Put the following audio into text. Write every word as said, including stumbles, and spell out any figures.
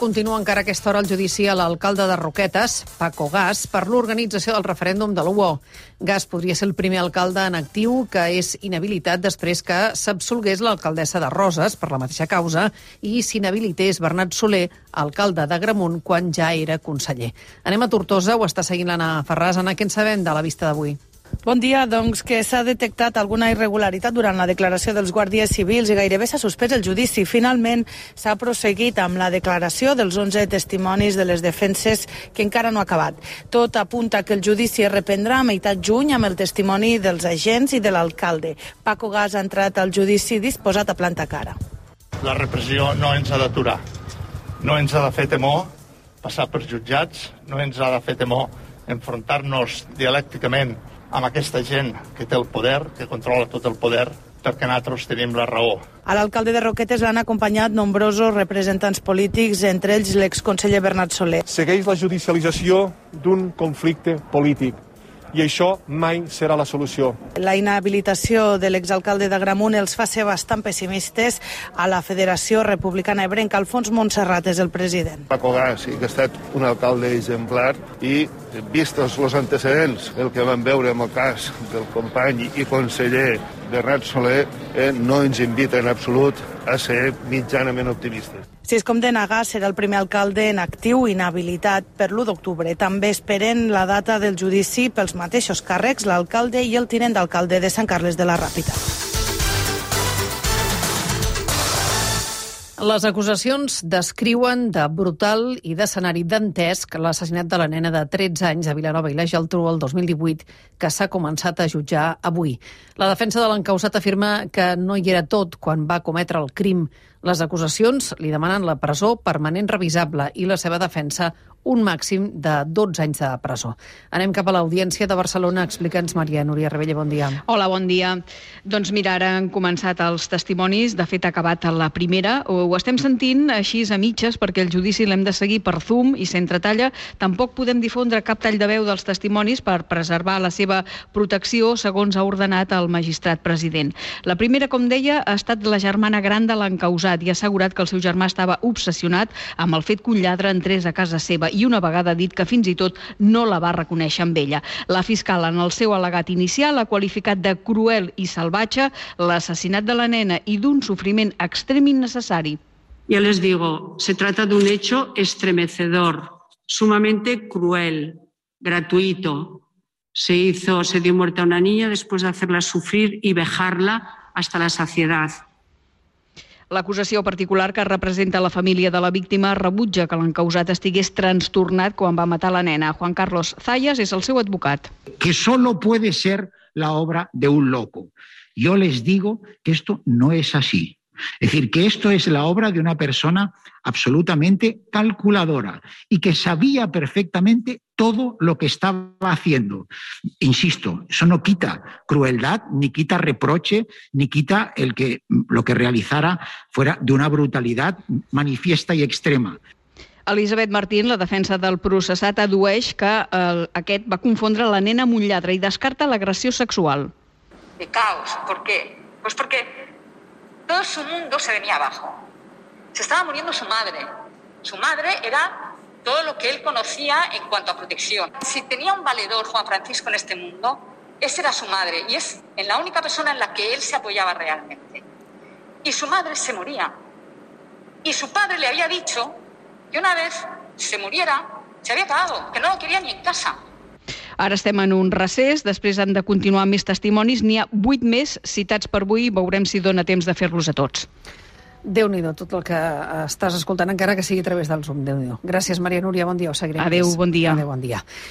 continua encara a aquesta hora el judici a l'alcalde de Roquetes, Paco Gas, per l'organització del referèndum de l'U O. Gas podria ser el primer alcalde en actiu que és inhabilitat després que s'absolgués l'alcaldessa de Roses per la mateixa causa i s'inhabilités Bernat Soler, alcalde d'Agramunt, quan ja era conseller. Anem a Tortosa, ho està seguint l'Anna Ferràs. Anna, què en sabem de la vista d'avui? Bon dia, doncs que s'ha detectat alguna irregularitat durant la declaració dels guàrdies civils i gairebé s'ha suspès el judici. Finalment s'ha proseguit amb la declaració dels onze testimonis de les defenses que encara no ha acabat. Tot apunta que el judici es reprendrà a meitat juny amb el testimoni dels agents i de l'alcalde. Paco Gas ha entrat al judici disposat a plantar cara. La repressió no ens ha d'aturar. No ens ha de fer temor passar per jutjats, no ens ha de fer temor enfrontar-nos dialècticament amb aquesta gent que té el poder, que controla tot el poder, perquè nosaltres tenim la raó. A l'alcalde de Roquetes l'han acompanyat nombrosos representants polítics, entre ells l'exconseller Bernat Soler. Segueix la judicialització d'un conflicte polític i això mai serà la solució. La inhabilitació de l'exalcalde d'Agramunt els fa ser bastant pessimistes. A la Federació Republicana Ebrenca, Alfons Montserrat és el president. Paco Gas sí que ha estat un alcalde exemplar i, vistos els antecedents, el que vam veure amb el cas del company i conseller Bernat Soler, eh, no ens invita en absolut a ser mitjanament optimistes. Si es condena Gas, serà el primer alcalde en actiu inhabilitat per l'u d'octubre. També esperen la data del judici pels mateixos càrrecs, l'alcalde i el tinent d'alcalde de Sant Carles de la Ràpita. Les acusacions descriuen de brutal i d'escenari dantesc l'assassinat de la nena de tretze anys a Vilanova i la Geltrú el dos mil divuit, que s'ha començat a jutjar avui. La defensa de l'encausat afirma que no hi era tot quan va cometre el crim. Les acusacions li demanen la presó permanent revisable i la seva defensa un màxim de dotze anys de presó. Anem cap a l'Audiència de Barcelona. Explica'ns, Maria Núria Rebella, bon dia. Hola, bon dia. Doncs mira, ara han començat els testimonis. De fet, ha acabat la primera. Ho estem sentint així a mitges perquè el judici l'hem de seguir per Zoom i sense talla. Tampoc podem difondre cap tall de veu dels testimonis per preservar la seva protecció, segons ha ordenat el magistrat president. La primera, com deia, ha estat la germana gran de l'encausat i ha assegurat que el seu germà estava obsessionat amb el fet que un lladre entrés a casa seva i una vegada ha dit que fins i tot no la va reconèixer amb ella. La fiscal, en el seu al·legat inicial, ha qualificat de cruel i salvatge l'assassinat de la nena i d'un sofriment extrem innecessari. Ya les digo, se trata de un hecho estremecedor, sumamente cruel, gratuito. Se hizo, se dio muerte a una niña después de hacerla sufrir y vejarla hasta la saciedad. L'acusació particular que representa la família de la víctima rebutja que l'encausat estigués trastornat quan va matar la nena. Juan Carlos Zayas és el seu advocat. Que solo puede ser la obra de un loco. Yo les digo que esto no es así. Es decir, que esto es la obra de una persona absolutamente calculadora y que sabía perfectamente todo lo que estaba haciendo. Insisto, eso no quita crueldad, ni quita reproche, ni quita el que lo que realizara fuera de una brutalidad manifiesta y extrema. Elisabet Martín, la defensa del processat, addueix que eh, aquest va confondre la nena amb un lladre i descarta l'agressió sexual. De caos. ¿Por qué? Pues porque todo su mundo se venía abajo. Se estaba muriendo su madre. Su madre era todo lo que él conocía en cuanto a protección. Si tenía un valedor, Juan Francisco, en este mundo, esa era su madre. Y es en la única persona en la que él se apoyaba realmente. Y su madre se moría. Y su padre le había dicho que una vez se muriera, se había acabado, que no lo quería ni en casa. Ara estem en un recés, després han de continuar amb més testimonis. N'hi ha vuit més citats per avui, veurem si dona temps de fer-los a tots. Déu-n'hi-do, tot el que estàs escoltant, encara que sigui a través del Zoom. Déu-n'hi-do. Gràcies, Maria Núria, bon dia, ho seguirem. Adéu, bon dia. Adéu, bon dia.